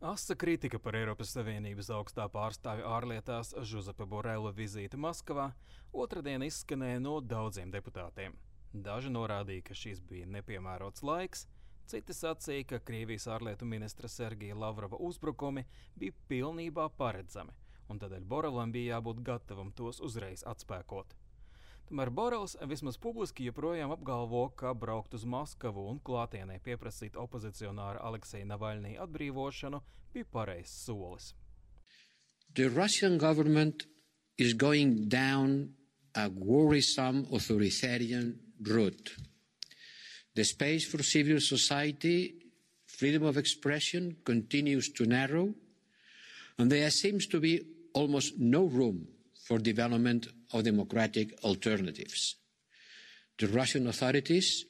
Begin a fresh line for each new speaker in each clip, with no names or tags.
Asa kritika par Eiropas Savienības augstā pārstāvja ārlietās Žozepa Borela vizīti Maskavā otrdien izskanēja no daudziem deputātiem. Daži norādīja, ka šis bija nepiemērots laiks, citi sacīja, ka Krievijas ārlietu ministra Sergeja Lavrova uzbrukumi bija pilnībā paredzami, un tādēļ Borelam bija jābūt gatavam tos uzreiz atspēkot. Tomēr Borels vismaz publiski joprojām apgalvo, ka braukt uz Maskavu un klātienē pieprasīt opozicionāra Alekseja Navalnija atbrīvošanu bija pareizs solis.
The Russian government is going down a worrisome authoritarian route. The space for civil society, freedom of expression continues to narrow, and there seems to be almost no room for development of democratic alternatives. The Russian authorities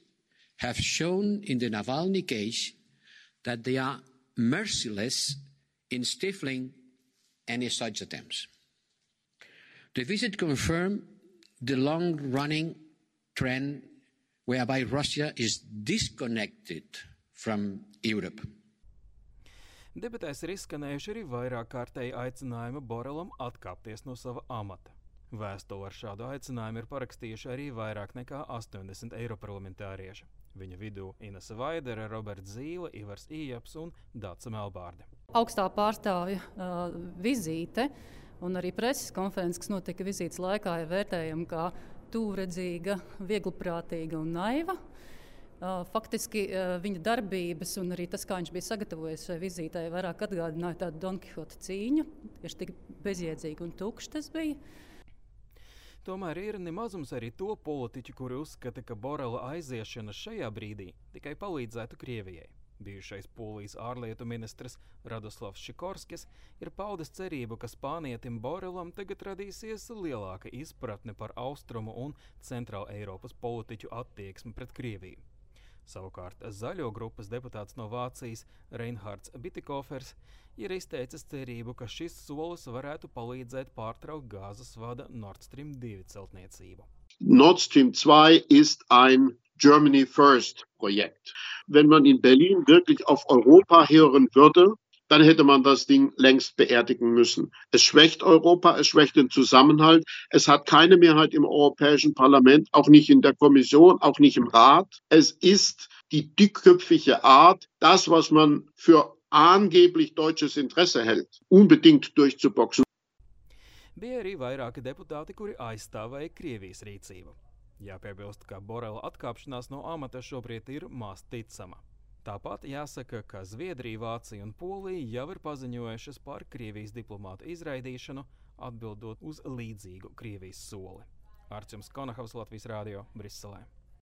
have shown in the Navalny case that they are merciless in stifling any such attempts. The visit confirmed the long-running trend whereby Russia is disconnected from Europe.
Debatēs ir izskanējuši arī vairāk kārtēji aicinājumi Borelam atkāpties no sava amata. Vēstuli ar šādu aicinājumu ir parakstījuši arī vairāk nekā 80 eiroparlamentārieši. Viņa vidū Inese Vaidere, Roberts Zīle, Ivars Ījaps un Dace Melbārde.
Augstā pārstāvja vizīte un arī preses konferences, kas notika vizītes laikā, ir vērtējama kā tūredzīga, viegliprātīga un naiva. Faktiski viņa darbības un arī tas, kā viņš bija sagatavojies šai vizītei, vairāk atgādināja tādu Don Kihota cīņu. Tieši tik bezjēdzīgi un tukšs tas bija.
Tomēr ir nemazums arī to politiķu, kuri uzskata, ka Borela aiziešana šajā brīdī tikai palīdzētu Krievijai. Bijušais Polijas ārlietu ministrs Radoslavs Šikorskis ir paudis cerību, ka spānietim Borelam tagad radīsies lielāka izpratne par austrumu un centrāla Eiropas politiķu attieksmi pret Krieviju. Savukārt Zaļo grupas deputāts no Vācijas Reinhards Bitikofers ir izteicis cerību, ka šis solis varētu palīdzēt pārtraukt gāzes vada Nord Stream 2 celtniecību.
Nord Stream 2 ist ein Germany First Projekt. Wenn man in Berlin wirklich auf Europa hören würde, dann hätte man das Ding längst beerdigen müssen. Es schwächt Europa, es schwächt den Zusammenhalt. Es hat keine Mehrheit im Europäischen Parlament, auch nicht in der Kommission, auch nicht im Rat. Es ist die dickköpfige Art, das, was man für angeblich deutsches Interesse hält, unbedingt durchzuboxen.
Bija arī vairāki deputāti, kuri aizstāvēja Krievijas rīcību. Jāpiebilst, ka Borela atkāpšanās no amata šobrīd ir maz ticama. Tāpat jāsaka, ka Zviedrija, Vācija un Polija jau ir paziņojušas par Krievijas diplomātu izraidīšanu, atbildot uz līdzīgu Krievijas soli. Artjums Konahavs, Latvijas Rādio, Briselē.